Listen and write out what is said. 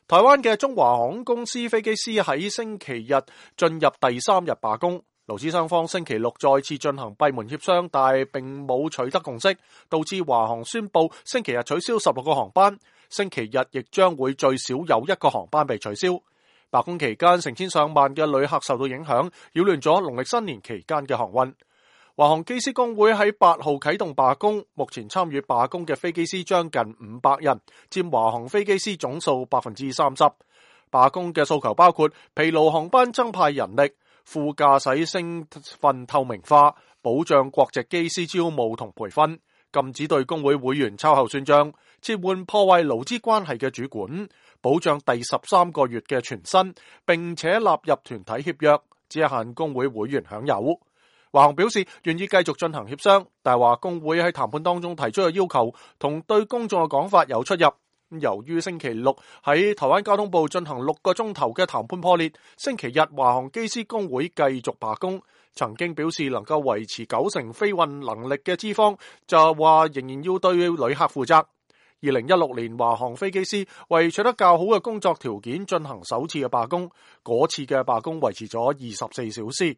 台灣嘅中華航空公司飛機師喺星期日進入第3日罷工，勞資雙方星期六再次進行閉門協商，但係並冇取得共識，導致華航宣布星期日取消16個航班，星期日亦將會最少有1個航班被取消。罷工期間，成千上萬嘅旅客受到影響，擾亂咗農曆新年期間嘅航運。華航機師工會喺8號啟動罷工，目前參與罷工嘅飛機師將近500人，佔華航飛機師總數 30%。罷工嘅訴求包括疲勞航班增派人力、副駕駛身份透明化、保障國籍機師招募同培訓、禁止對工會會員秋後算賬、撤換破壞勞資關係嘅主管、保障第13個月嘅全薪，並且納入團體協約，只限工會會員享有。華航表示願意繼續進行協商，但係話工會喺談判當中提出嘅要求同對公眾嘅講法有出入。由於星期六喺台灣交通部進行6個鐘頭嘅談判破裂，星期日華航機師工會繼續罷工。曾經表示能夠維持90%飛運能力嘅資方就話仍然要對旅客負責。2016年華航飛機師為取得較好嘅工作條件進行首次嘅罷工，嗰次嘅罷工維持咗24小時。